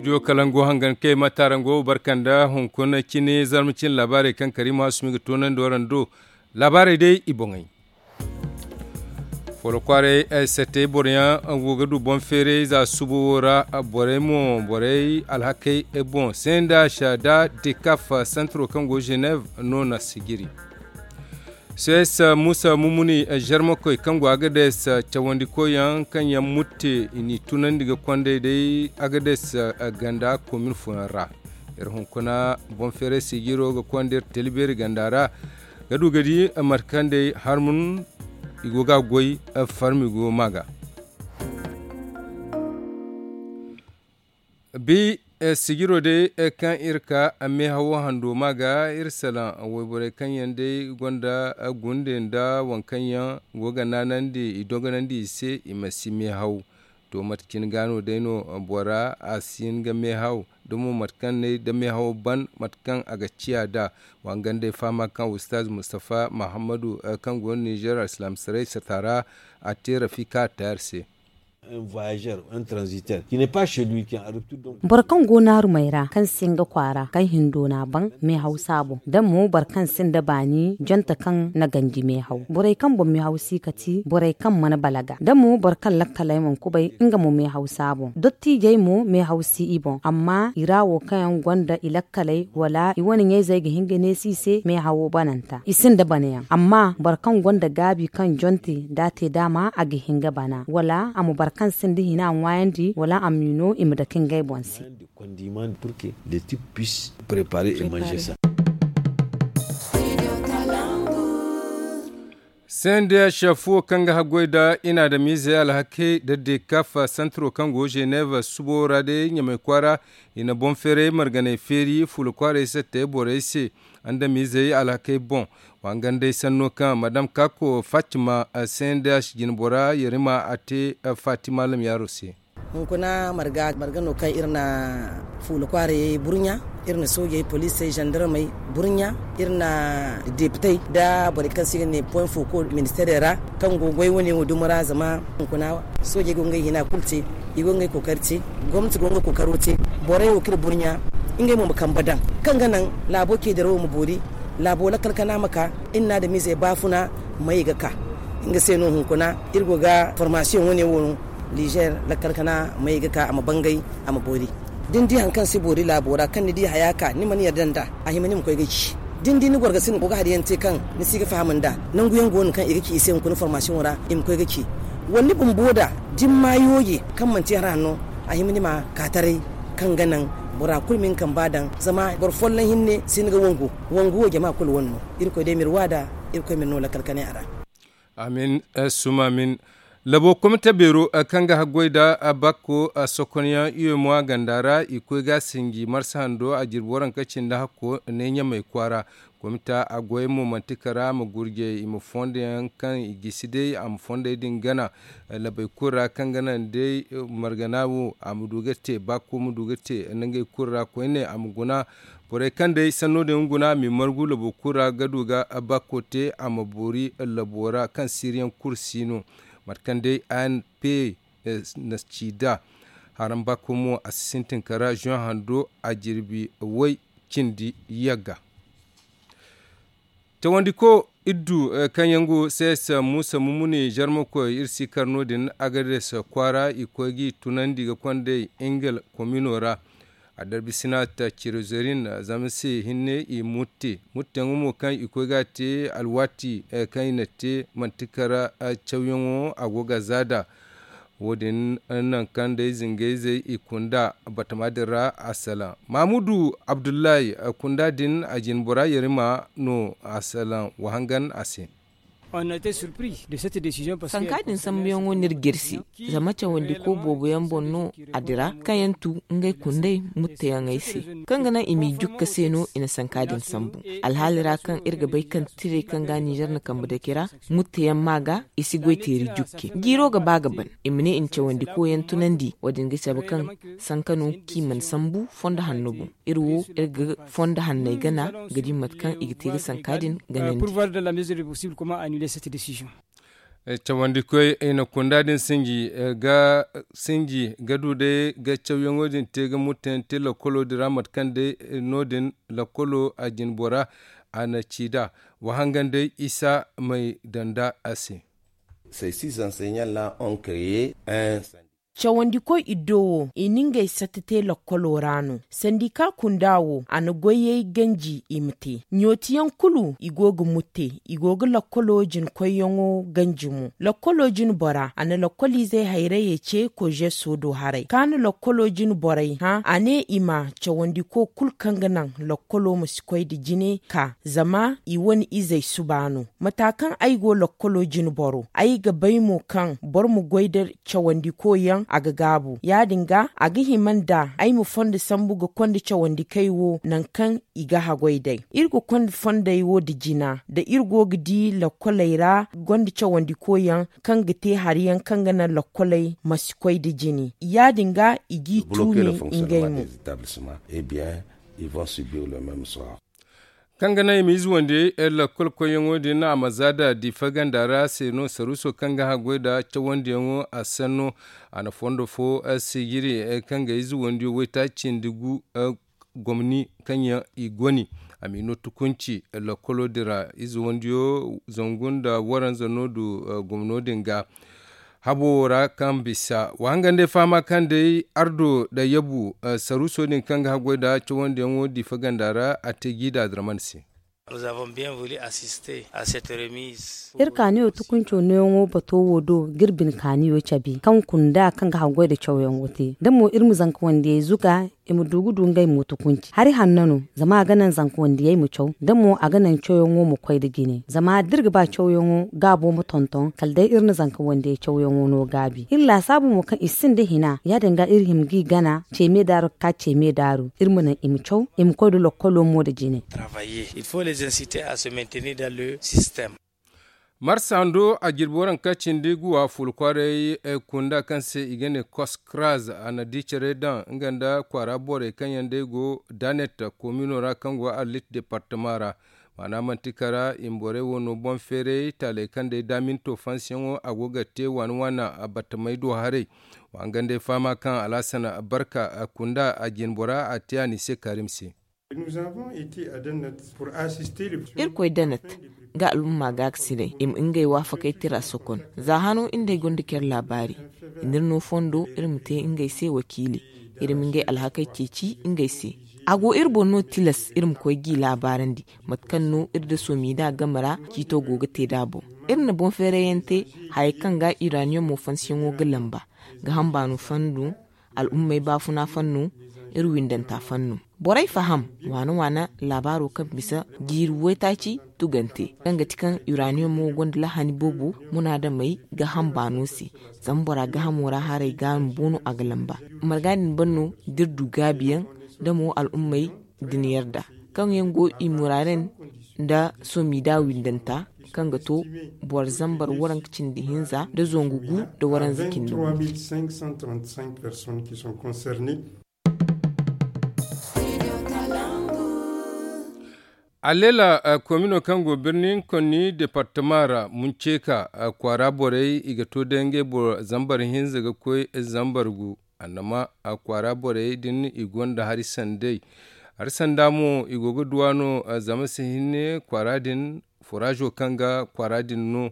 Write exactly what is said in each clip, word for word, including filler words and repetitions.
Studio kalango hangan kay ma taarango barka nda hunkuna cine zarma cine laabaarey kaŋ kariima hasumi ga toonandi waraŋ do. Laabaarey day i boŋey. Folo kwaaray ay sattey boroyaŋ go ga du boŋ feeray za subo wo ra. Borey mo borey alhakey boŋ senda sha da dekaf santiro kaŋ go genev no na sijiri. Soyes musa mumuni zarmakoy kaŋ go agades cawandikoy yaŋ kaŋ yaŋ mutte i n'i tunandi ga kondey day agades ganda komin fooyaŋ ra. Iri hunkuna boŋ feeray sijiro ga konda iri talibeeri ganda ra ga du ga di mate kaŋ day harmun i go ga a goy. Farmi go ma ga bi sijiro day kaŋ iri ka meehawo hando ma ga iri salaŋ wayborey kaŋ yaŋ day gonda gunde nda waŋ kaŋ yaŋ go ga naanandi i dogonandi i se i ma si meehaw. To mate cine ga no day no bora a si hin ga meehaw da mo mate kaŋ ne da meehawo ban mate kaŋ a ga ciya da. Wangandey fahama kaŋ ustaz mustafa mahammadu kaŋ go no nizer alsilaamsaray sata ra a te rafika tayar se. Boro kaŋ go naarumey ra kaŋ si nga kwaara kaŋ hindo n'a ban meehaw saabo da mo boro kaŋ sinda baani jonte kaŋ na ganji meehaw borey kaŋ boŋ meehaw si kati borey kaŋ mana balaga da mo boro kaŋ lakkaley mana kubay nga mo meehaw saabo dottiijey mo meehaw si i boŋ amma i ra wo kaŋ yaŋ gonda i lakkaley wala i wane ɲayzey ga hin ga neesi i se meehawo bananta i sinda banayaŋ amma boro kaŋ gonda gaabi kaŋ jonte da a te daama a ga hin ga bana wala a ma boro kaŋ sinda hina ŋwaayandi wala a m'i no i ma dake ngey boŋ se. Sendeya shafo kaŋ ga haggoy da inaadamiizey alhakey da dekaf santiro kaŋ go genev subo ra day ɲamay kwaara i na boŋ feeray marganay feeri fuula kwaaray sattey borey se. Andamiizey alhakey boŋ wangandey sanno kaŋ madam kako fatima sendeya jinbora yarima a te fatima lamyaaro se. Hunkuna marga marga no kaŋ iri na fuula kwaarayey burɲa, iri na soojey poliisey zandarmey burɲa, iri na depitey nda borey kaŋ se i ga ne poŋ foko ministeerey ra kaŋ go goy wane wo dumo ra zama hunkuna soojey go ngey hina kulu te. I go ngey kookari te gomnati go nga kookaro te. Borey wo kaŋ iri burɲa ngey mo ma kambe daŋ kaŋ ga naŋ laabo ceedaro wo ma boori. Laabo lakkal kana ma ka iri na adamiizey baafuna may ga ka. Nga se no hunkuna iri go ga formasiyoŋ wane wo no. Nizer lakkal kana may ga ka a ma bangay a ma boori. Da ni di hari kaŋ si boori laabo ra kaŋ ni di haya ka ni mana yarda nd'a a hima ni ma koy ga ci. Da ni di ni gorgasi ni go ga hari yaŋ te kaŋ ni si ga faham nd'a nangu yaŋ go no kaŋ i ga ci i se hunkuna formasiyoŋo ra i ma koy ga ci. Wala ni bumbo da da ni ma yooje kaŋ manti hari hanno a hima ni ma ka taray. Kaŋ ga naŋ bora kulu ma ni kamba daŋ zama boro folloŋ hinne si ni ga wangu. Wangu wo jama kulu wane no. Irkoy day ma iri waada. Irkoy ma iri no lakkal kanay a ra. Amin. Suma amin. Labo komite beero kaŋ ga haggoy nda bakko sokonyaŋ u m a ganda ra i koy ga a sinji marsa hando a jirbi waranka cindi hakko ne ɲamay kwaara. Komita a goyey mo manti kara a ma gurjey i ma fondo yaŋ kaŋ i gisi day a ma fondey din gana. Labey kulu ra kaŋ ga naŋ day margana wo a ma du ga te bakko ma du ga te nda ngey kulu ra koyne a ma guna. Borey kaŋ day sanno din ga guna a m'i margu labo kulu ra ga du ga bakko te a ma boori labo ra kaŋ siiriyaŋ kulu si no. Mate kaŋ day a n p na ci nd'a. Haraŋ bakko mo a si sintin kara zoŋ hando a jirbi way cindi yagga. Cawandiko iddu kaŋ yaŋ go sees muusa mumuni zarmakoy iri si kar no- din agades kwaara i koy g'i tunandi ga kond'ey ingel komino ra. A darbisina ta cirozerin zama se hinne i mutte mutteyaŋo mo kaŋ i koy ga te alwaati kaŋ i na te manti kara cawyaŋo a go ga za nd'a. Wo- din naŋ kaŋ day zingayzey i kunda batama din ra a salaŋ mahamudu abdullahi kunda din a jine bora yarima no a salaŋ wahangan a se. Sanka din sambuyaŋo n'iri g'iri se zama cawandiko boobo yaŋ boŋ no a dira kaŋ yaŋ tu ngey kundey mutteyaŋey se kaŋ ga naŋ i m'i jukka se no i na sanka din sambu. Alhaali ra kaŋ iri ga bay kaŋ tirey kaŋ ga ninzeer na kambe dake ra mutteyaŋ ma ga i si goy teeri jukke. Jiiro ga ba ga ban i ma ne i na cawandiko yaŋ tunandi wo- din ga cabe kaŋ sanka no kaŋ i mana sambu fondo hanno boŋ. Iri wo iri ga fondo hanney gana ga di mate kaŋ i ga te ga sanka din ganandi. Cawandikoy i na kunda din sinji ga sinji ga du day ga cawyaŋo din te ga murtayaŋ te lakkolo din ra mate kaŋ day no- din lakkolo a jinbora a na ci nd'a. Wa hangan day isa may daŋ nd'a a se. Cawandikoy iddo wo i na ngey satta te lakkolo ra no sandika kunda wo a na goyey ganji i ma te ɲootiyaŋ kulu i go ga mutte i go ga lakkolo jinkoyyaŋo ganji mo lakkolo jinbora a na lakkoliizey hayrayey ce kozeso do haray kaŋ a na lakkolo jinborey hã a ne i ma cawandiko kulu kaŋ ga naŋ lakkolo ma si koy nda jine ka zama i wane izey suba no. Mata kaŋ ay go lakkolo jinboro ay ga bay mo kaŋ boro ma goy nda cawandiko yaŋ a ga gaabu ya- din ga a ga hima nda ay ma fondo sambu ga konda cawandikey wo nangu kaŋ i ga haggoy day iri ga konda fondey wo nda jina nda iri go ga di lakkoley ra gonda cawandiko yaŋ kaŋ ga te hari yaŋ kaŋ ga naŋ lakkoley ma si koy nda jine ya- din ga i g'i tuumi ngey mo. Kaŋ ga naŋ i ma ize wande lakkol koyyaŋo din a ma za da diifa ganda ra se no saruuso kaŋ ga haggoy nda cawandiyaŋo a sanno. A na fondo fo sijiri kaŋ ga ize wandiyo waytaaci nda gu gomni kaŋ yaŋ i goni a m'i no tukunci lakkolo din ra ize wandiyo zangu nda waranza no du gomno din ga. Habo wo ra kaŋ bisa wa hangan day fahama kaŋ day ardo nda yabu saruuso din kaŋ ga haggoy nda cawandiyaŋo diifa ganda ra a te jiida draman se. Iri kaaniyo tukunco nooyaŋo bato wo do ga iri bine kaaniyo cabe kaŋ kunda kaŋ ga haggoy nda cawyaŋo te da mo iri ma zanka wandiyey zuga i ma du ga du ngey mo tukunci hari hanno no zama a ga naŋ zanka wandiyey ma caw da mo a ga naŋ cawyaŋo ma koy nda jine zama da iri ga ba cawyaŋo gaabo ma tonton kala day iri na zanka wandiyey cawyaŋo no gaabi iri laasaabu mo kaŋ i sinda hina ya- din ga iri hima g'i gana ceeme daaru ga ka ceeme daaru iri ma naŋ i ma caw i ma koy nda lokkolo mo nda jine. Marsa hando a jirbi waranka cindi guwa fulu kwaaray kunda kaŋ se i ga ne koskraz a na di care daŋ nga nda kwaara borey kaŋ yaŋ day go danet komino ra kaŋ go arlit departama ra. Maana manti kara i ma borey wo no boŋ feeray taaley kaŋ day daaminto fansiyaŋo a go ga te waana waana battamey do haray. Wa hangan day fahama kaŋ alhasan barka kunda a jinbora a te a n'i se kaarim se. Irkoy danat ga al'umma ga ga sinay i ma ngey waafakey tira sokon za hano iri nd'ey gonda care laabaari. Nda iri no fondo iri ma te ngey se wakiili iri ma ngey alhakey ceeci ngey se. A go iri boŋ no tilas iri ma koy g'i laabaarandi mate kaŋ no iri nda soomida game ra ciito go ga te nd'a boŋ. Iri na boŋ feerayyaŋ te hayey kaŋ ga iraniyom mo fansiyaŋo ga lamba ga hamba no fandu al'ummey baafuna fannu iri windanta fannu. Borey faham waana waana laabaaro kaŋ bisa jiiri waytaaci tugante kaŋ ga ti kaŋ uraniyomo gonda lahani boobo munaadamey ga hamba no se. Zama bora gaahamo ra haray ga no boono a ga lamba marga din ban no da iri du gaabiyaŋ da mo al'ummey da ni yarda kaŋ yaŋ go i muraaren nda soomida windanta kaŋ ga to boro zambar waranka cindi hinza nda zangu gu nda waranza cindi gu. Alleela komino kaŋ go birni konni departama ra munceeka kwaara borey i ga to day ngey boro zambar hinza ga koy zambar gu. Annama kwaara borey din i gonda hari sanday hari sanda mo i go ga duwa no zama si hinne kwaara din furazo kaŋ ga kwaara din no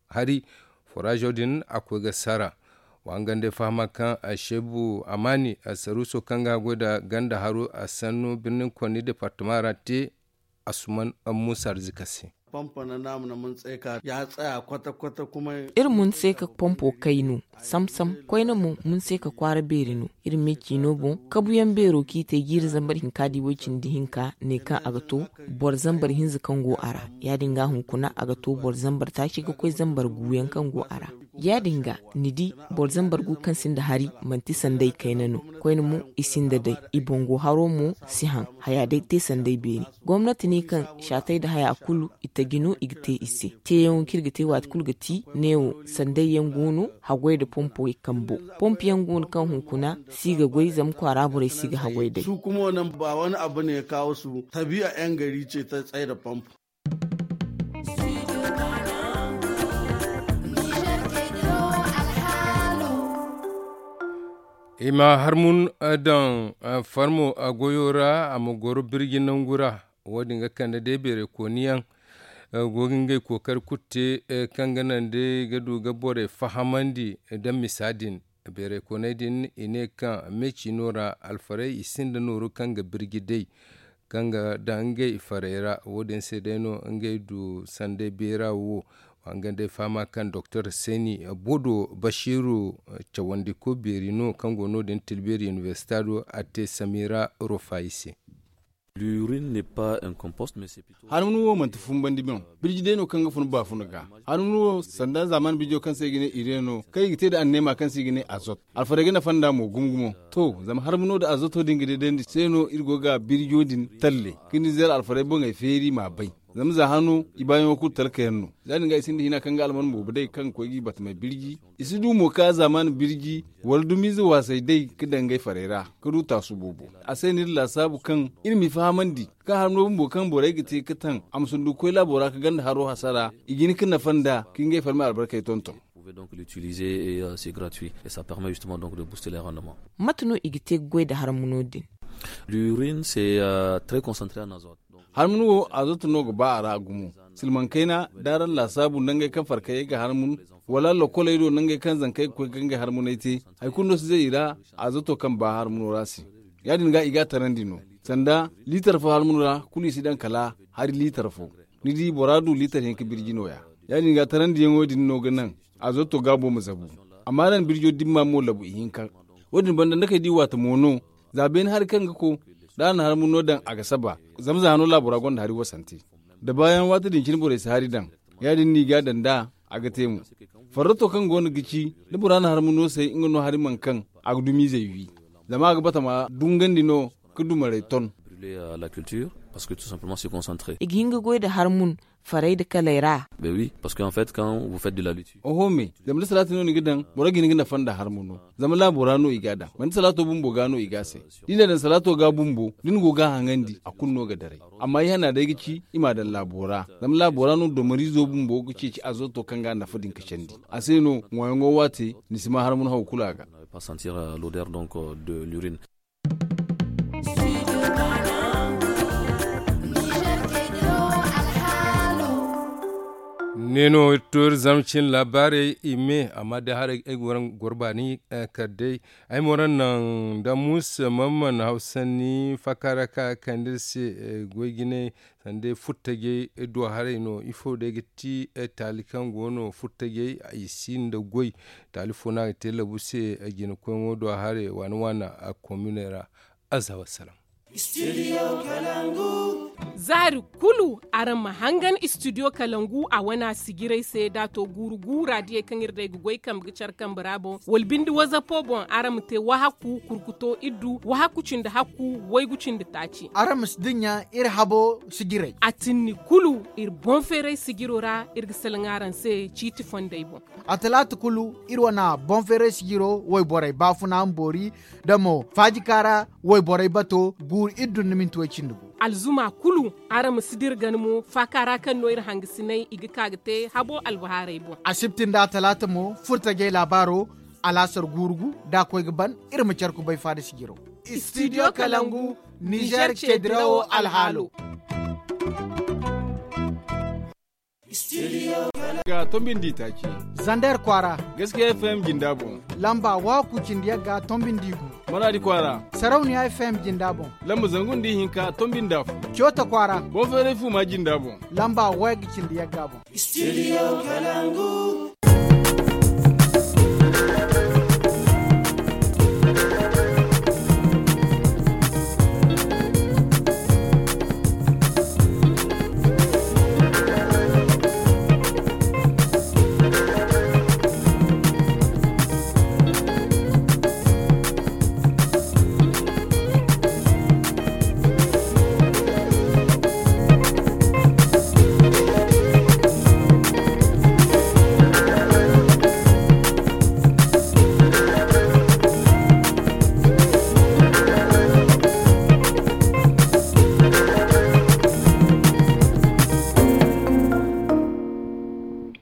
hari furazo din a koy ga sara. Wa hangan day fahama kaŋ a seebu amaani a saruuso kaŋ ga goy nda ganda haro a sannu birnin konni departama ra te asuman muusa arzika se. Iri mun se ka pompo kay no samsam koyne mo mun se ka kwaara beeri no. Iri me ciino boŋ kabuyaŋ beero kaŋ i te jiiri zambar hinka di way-cindi hinka ne kaŋ a ga to boro zambar hinza kaŋ go a ra. Ya- din ga hunkuna a ga to boro zambar taaci ga koy zambar guuyaŋ kaŋ go a ra. Ya- din ga ni di boro zambar gu kaŋ sinda hari manti sanday kayna no. Koyne mo i sinda day i boŋ go haro mo si haŋ haya day te sanday beeri. Gomnati ne kaŋ saatey nda haya kulu i taji no i ga te i se. Teeyaŋo kaŋ iri ga te waati kulu ga ti neewo sanday yaŋ go no haggoy nda pompoy kambo. Pompo yaŋ go no kaŋ hunkuna si ga goy zama kwaara borey si ga haggoy day. Su kuma wannan ba wani abu ne ya kawo su tabi'a yan gari ce ta tsaye da pompo. I ma harmun daŋ farmo goyo ra, a ma goro birji nangu ra. Wo- din ga kande day beeray kooni yaŋ go ga ngey kookari kulu te, kaŋ ga naŋ day ga du ga borey fahamandi. Nda misa din, beeray kooney din i ne kaŋ me ciino ra alfarey i sinda nooru kaŋ ga birji day, kaŋ ga daŋ ngey farey ra. Wo- din se day no ngey du sanday beera wo. Wa nga day fahama kaŋ doktor seni bodo basiru cawandiko beeri no kaŋ go no- din tilbeeri inibersita do a te samira rofayi se. Harmunu wo manti fumbandi boŋ. Birji day no kaŋ ga fun baafuna ga. Harmunu wo sanda zaaman birjo kaŋ se i ga ne ire no kaŋ i ga te nda anneema kaŋ se i ga ne azot. Alfarey ga nafa nda mo gumo gumo. To, zama harmuno nda azoto din ga deedandi se no iri go ga birjo din talle ka ni zeera alfarey boŋey feeri m'a bay. Zama za hano i baayaŋo kulu talka yaŋ no. Ya- din ga i sinda hina kaŋ ga alman boobo day kaŋ ga koy ga i batamey birji. I si du mo ka zaaman birji wala dumiize waasay day ka daŋ ngey farey ra ka du taasu boobo. A se no iri laasaabu kaŋ iri m'i fahamandi kaŋ harno bumbo kaŋ borey ga te ka taŋ a ma sundugu koy laabo ra ka ganda haro hasara. I ga hin ka nafa nda ka ngey farmey albarkey tonton. Mate no i ga te ga goy nda harmuno din? Harmun wo azoto no ga ba a ra gumo. Silmaŋ kayna da araŋ laasaabu nangey kaŋ farkayey ga harmun, wala lokoley do nangey kaŋ zankey ga koy ga ngey harmuney te. Hari kulu no si zay i ra azoto kaŋ ba harmuno ra se. Ya- din ga i ga a tarandi no. Sanda liitar fo harmuno ra kulu i si daŋ kala hari liitar fo. Ni di bora du liitar hinka birji nooya. Ya- din ga tarandiyaŋo din no ga naŋ azoto gaabo ma zabu. Amma araŋ birjo dimma mo labu ihinka. Wo- din banda nda kay di waata mo no. Za beene hari kaŋ ga ko da a na harmuno daŋ a ga saba. Zama za hano laabo ra gonda hari wasante. Da baayaŋ waati din cine borey si hari daŋ. Ya- din no i ga a daŋ nd'a a ga te mo. Farrato kaŋ go no ga ci da bora na harmuno say nga no hari mana kaŋ a ga dumiizey wi. Zama a ga batama dungandi no ka dumarey ton. I ga hin ga goy nda harmun farey nda kaley ra. Oho me, zama da salaati no ni ga daŋ boro ga hin ga nafa nda harmuno. Zama laabo ra no i ga a daŋ manti salaato bumbo ga no i ga a say. Da i na daŋ salaato ga bumbo da ni go ga a haŋandi a kulu no ga daray. Amma i hana day ga ci i m'a daŋ laabo ra. Zama laabo ra no domariizo bumbo ga ceeci azoto kaŋ ga a nafa din ga candi. A se no ŋwaayaŋo waate ni si ma harmun haw kulu a ga. Ne no iri to iri zama cin laabaarey i me amma day haray ay ga waraŋ goro baani kala day. Ay ma waraŋ naŋ da muusa mamman hawsanni faaka ra ka kande iri se. Goy jinay sanda furtajey do haray no ifo day ga ti taali kaŋ go no furtajey i si nda goy. Taali fo no a ga te labu se. Jinakoyŋo do haray waana waana kominey ra. Aza wasalaŋ. Zaari kulu araŋ ma hangan istidiyo kalangu a wana sijirey se da a to guuru guura diyey kaŋ iri day ga goy kambe ga care kambe ra boŋ wala binde wazapo boŋ araŋ ma te wahakku kurkuto iddu wahakku cindi hakku waygu cindi taaci. Araŋ ma si dinya iri habo sijirey. A tinni kulu iri boŋ feeray sijiro ra iri ga salaŋ araŋ se ciiti fondey boŋ. A talaata kulu iri wana boŋ feeray sijiro wayborey baafuna boori da mo faajika ra wayborey bato guuru iri dunduminti way cindi gu. Alzuma kulu araŋ ma si dira gana mo faaka ra kaŋ no iri hangasinay i ga ka ga te habo albahaarey boŋ. Asibti nda talaata mo furtajey laabaaro alaasar guuru gu da a koy ga ban. Iri ma care kubay faada sijiro. Istidiyo kalangu nizer ceedirawo alhaalo. Ga tombindi taaci zander kwaara. Gaskiya fm jinda boŋ. Lamba waku cindi yagga tombindi gu. Maradi kwaara. Sarauniya fm jinda boŋ. Lamba zangu nda ihinka tombinda fo. Coota kwaara. Boŋ feeray fu ma jinda boŋ. Lamba wayga cindi yagga boŋ. Studio kalangu.